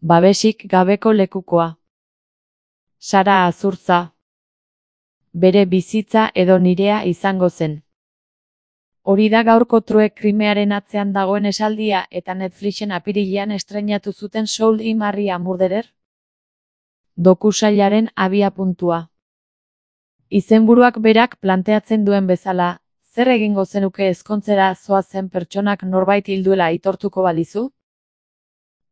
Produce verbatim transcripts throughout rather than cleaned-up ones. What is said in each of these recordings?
Babesik gabeko lekukoa. Sara Azurtza. Bere bizitza edo nirea izango zen. Hori da gaurko True Crimearen atzean dagoen esaldia eta Netflixen apirilean estreinatu zuten Soul in Maria Murderer dokusailaren abiapuntua. Izenburuak berak planteatzen duen bezala, zer egingo zenuke ezkontzera zoazen pertsonak norbait hilduela aitortuko balizu?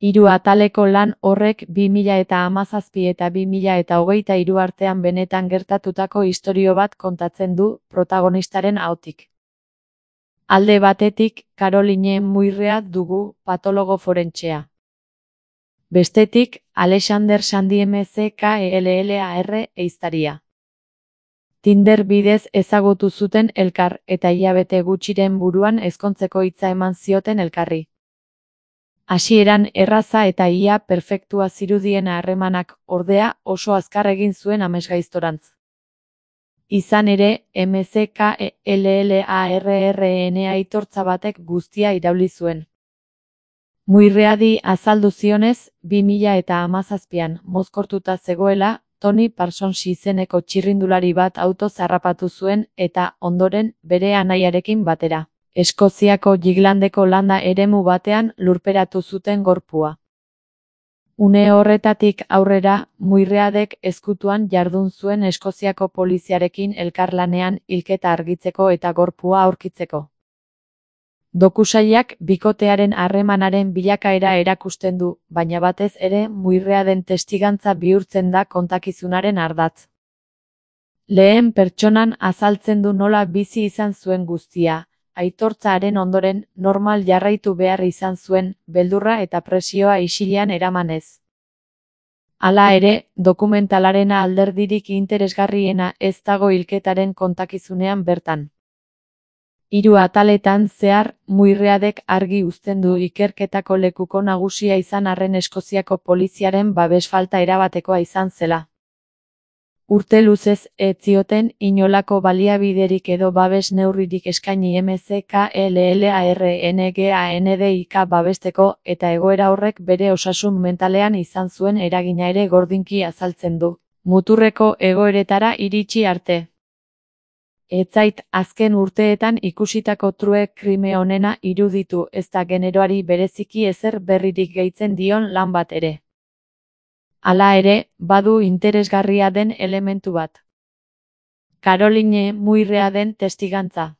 Hiru ataleko lan horrek bi mila hamazazpi eta bi mila hogeita hiru artean benetan gertatutako istorio bat kontatzen du protagonistaren ahotik. Alde batetik, Caroline Muirrea dugu, patologo forentsea. Bestetik, Alexander Sandy M C K E L L A R ehiztaria. Tinder bidez ezagutu zuten elkar eta hilabete gutxiren buruan ezkontzeko hitza eman zioten elkarri. Hasieran erraza eta ia perfektua zirudien harremanak, ordea, oso azkar egin zuen amesgaiztorantz. Izan ere, M C K E L L A R R N aitortza batek guztia irauli zuen. Muirreadi azaldu zionez, bi mila hamazazpian mozkortuta zegoela, Tony Parsons izeneko txirrindulari bat autoz harrapatu zuen eta, ondoren, bere anaiarekin batera. Eskoziako Jiglandeko landa eremu batean lurperatu zuten gorpua. Une horretatik aurrera, Muirreadek ezkutuan jardun zuen Eskoziako poliziarekin elkarlanean hilketa argitzeko eta gorpua aurkitzeko. Dokusailak bikotearen harremanaren bilakaera erakusten du, baina batez ere Muirreaden testigantza bihurtzen da kontakizunaren ardatz. Lehen pertsonan azaltzen du nola bizi izan zuen guztia, aitortzaren ondoren normal jarraitu behar izan zuen, beldurra eta presioa isilean eramanez. Hala ere, dokumentalarena alderdirik interesgarriena ez dago hilketaren kontakizunean bertan. Hiru ataletan zehar, Muirreadek argi uzten du ikerketako lekuko nagusia izan arren Eskoziako poliziaren babes falta erabatekoa izan zela. Urte luzez ez zioten inolako baliabiderik edo babes neurririk eskaini M C K E L L A R N G A N D I K babesteko eta egoera horrek bere osasun mentalean izan zuen eragina ere gordinki azaltzen du, muturreko egoeretara iritsi arte. Ez zait azken urteetan ikusitako True Crime onena iruditu ez da generoari bereziki ezer berririk gehitzen dion lan bat ere. Hala ere, badu interesgarria den elementu bat. Caroline Muirreaden testigantza.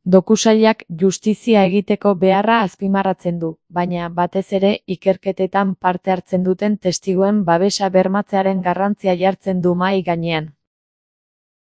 Dokusailak justizia egiteko beharra azpimarratzen du, baina batez ere ikerketetan parte hartzen duten testiguen babesa bermatzearen garrantzia jartzen du mahai gainean.